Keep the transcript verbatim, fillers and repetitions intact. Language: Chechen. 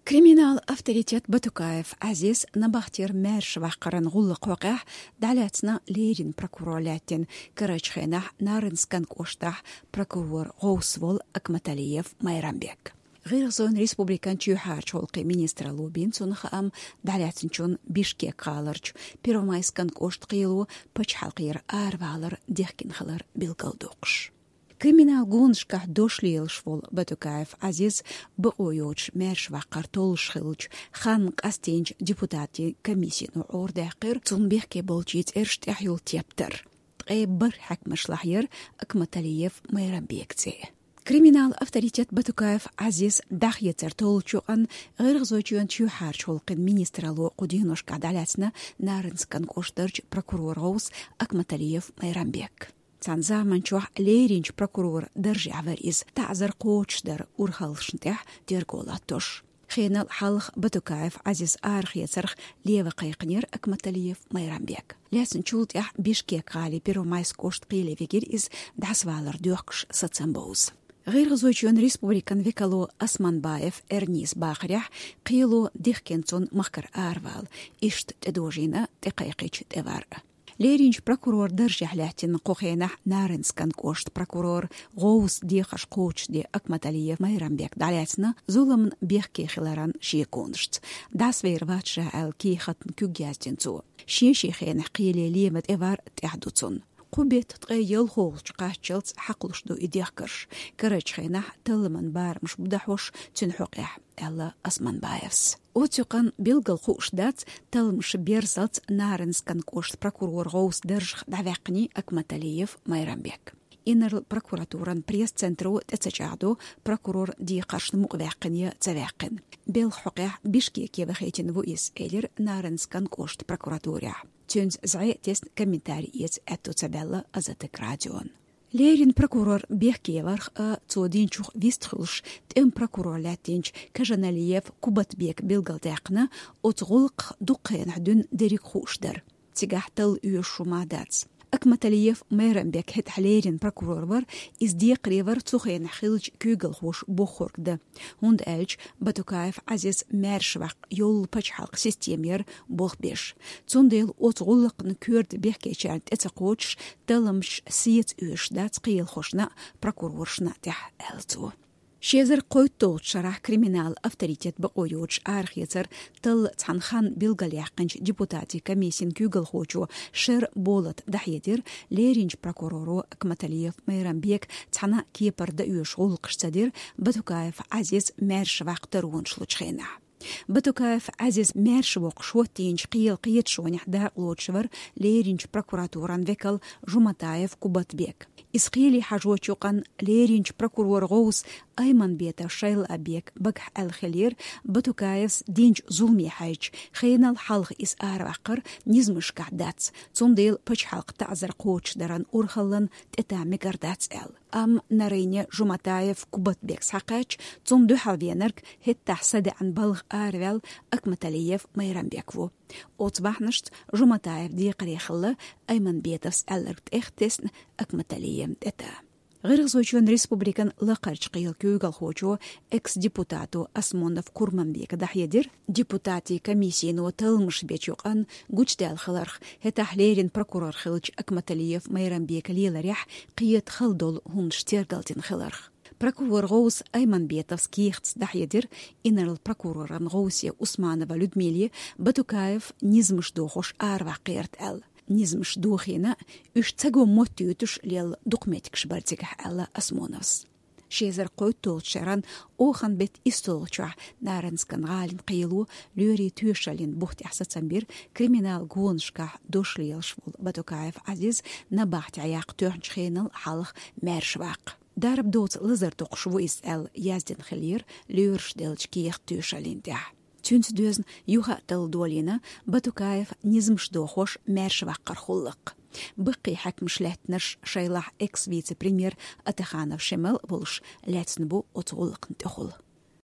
Криминал авторитет Батукаев Ӏазиз набахтера маьрша ваккхаран гӀуллакх хьокъехь дӀалаьцна леррина прокурор лаьттина, карарчу хенахь Нарынскан кӀоштахь прокурор гӀовс волу Акматалиев Майрамбек. ГӀиргӀазойн республикан чоьхьарчу гӀуллакхийн министралло бина цунах хаам дӀалаьцначунна Бишкек гӀаларчу Первомайскан кӀоштан кхело пачхьалкхера аравалар дихкина хилар билгалдоккхуш. Криминал гонашкахь дош лелаш волу Батукаев Ӏазиз бакъо йоцуш маьрша ваккхар толлуш хиллачу ханна къастийначу депутатийн комиссино Ӏорадаьккхира цунна бехке болчийн цӀераш тӀехь йолу тептар. Ткъе бархӀ хьаькамашлахь яра Акматалиев Майрамбек цӀе. Криминал авторитет Батукаев Ӏазиз дӀахецар толлучу юкъанна ГӀиргӀазойчоьнан чоьхьарчу гӀуллакхийн министралло кху деношкахь дӀалаьцна Нарынскан кӀоштарчу прокурор гӀовс Акматалиев Майрамбек. Цхьана заманчохь лерринчу прокурор даржехь вара иза, таӀзар кхочушдаран урхаллашна тӀехь терго латтош. Хенал хьалха Батукаев Ӏазиз арахецарх лева кхайкхинера Акматалиев Майрамбек. Лаьцначул тӀаьхьа Бишкек гӀалин Первомайск кӀоштан кхеле вигира иза, дӀасавалар доьхкуш сацам бовза. ГӀиргӀазойчоьнан республикан векало Османбаев Эрнис бахарехь, кхело дихкина цунна махкара аравала, иштта тӀедожийна тӀекхайкхича тӀевар. Лерринчу прокурор даржехь лаьттина кху хенахь Нарынскан кӀоштан прокурор гӀовс дехарш кхочушде Акматалиев Майрамбек дӀалаьцна зуламна бехке хиларан шеконашца. ДӀасавер вац ша аьлла кехатна куьг яздина цо. Шен-шен хенахь кхеле лема тӀевар тӀехь ду цунна. Кху беттан ткъе ялхолгӀачу кхаччалц хьакхалуш ду и дехкарш. Карарчу хенахь талламан барамаш бу дӀахьош цуьнан хьокъехь, аьлла Османбаевс. Оцу юкъанна билггал хууш дац талламаш берзалц Нарынскан кӀоштан прокурор гӀовс даржах дӀаваьккхиний Акматалиев Майрамбек. Инарла прокуратуран пресс-центро тӀе ца чӀагӀдо, прокурор декхаршна мукъаваьккхина я ца ваьккхина. Белхан хьокъехь Бишкеке вахийтина ву иза, элира Нарынскан кӀоштан прокуратурехь. Цуьнца зӀе тесна комментари эца аьтто ца баьлла Азаттык радиона. Леррина прокурор бехке варх а, цо динчух вистхуьлуш, тӀеман прокурор лаьттинчу Кажаналиев Кубатбека билгалдаьккхина, оцу гӀуллакхах дукха хенахь дуьйна дерриг хууш дара. Цигахь талла оьшуш хӀума дац. Акматалиев Майрамбек хӀетахь леррина прокурор вара, иза декхаре вара цу хенахь хиллачу куьйгалхоша бохург дан. ХӀунда аьлча Батукаев Ӏазиз маьрша ваккха йолу пачхьалкхан система яра болх беш. Цундела оцу гӀуллакхна коьрта бехкечарна тӀе ца кхочуш, талламаш сеца оьшуш дац кхелахошна а, прокуроршна а тӀехь, аьлла цо. Ши эзар кхойтталгӀачу шарахь криминал авторитет бакъо йоцуш арахецар талла цхьана ханна билгалъяьккхинчу депутатийн комиссин куьйгалхочо Шер Болата дӀахьедира, лерринчу прокуроро Акматалиев Майрамбека цхьана а кепара дан оьшуш гӀуллакхаш ца дира Батукаев Ӏазиз маьрша ваккха таронаш лучу хенахь. Батукаев Ӏазиз маьрша воккхуш хӀоттийначу кхелан кхеташонехь дакъалоцуш вара лерринчу прокуратуран векал Жуматаев Кубатбек. Иза кхеле хьажочу юкъанна лерринчу прокурор гӀовс Айманбетов Шайлаъбека багахь аьлла хиллера, Батукаевс динчу зуламе хьаьжча, хенал хьалха иза араваккхар низамашкахь дац, цундела пачхьалкхан таӀзар кхочушдаран урхаллан тӀе тан мегар дац аьлла. Амма Нарыне Жуматаев Кубатбек схьакхаьчча, цунна дуьхьал венарг хӀеттахь садаьӀан балха араваьлла Акматалиев Майрамбек ву. Оцу бахьанашца Жуматаев декхаре хилла, Айманбетовс аьлларг тӀех тесна Акматалиевна тӀе тан. ГӀиргӀазойчоьнан республикан лакхарчу кхелан куьйгалхочо, экс-депутато Осмонов Курманбека дӀахьедира, депутатийн комиссино талламаш бечу юкъанна гучудаьлла хиларх, хӀетахь леррина прокурор хиллачу Акматалиев Майрамбека леларехь кхета хала долу хӀуманаш тергалдина хиларх. Прокурор гӀовс Айманбетовс кехатца дӀахьедира, инарла прокуроран гӀовсе Усманова Людмиле Батукаев низамаш дохош араваккхарна аьлла. Низамаш дохийна, уьш ца го моттуьйтуш лелла дукха меттигаш бара цигахь, аьлла Осмоновс. Ши эзар кхойтталгӀачу шеран охан беттан иссалгӀачохь Нарынскан гӀалин кхело лоьрийн тоьшаллин бух тӀехь сацам бира криминал гонашкахь дош лелаш волу Батукаев Ӏазиз набахтехь яккха тоьхначу хенал хьалха маьрша ваккха. Дарба доцу лазар токхуш ву иза аьлла яздина хиллера лоьраш деллачу кехат тоьшаллин тӀехь. Цуьнца доьзна юха а талла долийна Батукаев низамаш дохош маьрша ваккхаран гӀуллакх. Баккхий хьаькамаш лаьттинарш шайлахь экс-вице-премьер Атаханов Шемал а волуш лаьцна бу оцу гӀуллакхна тӀехула.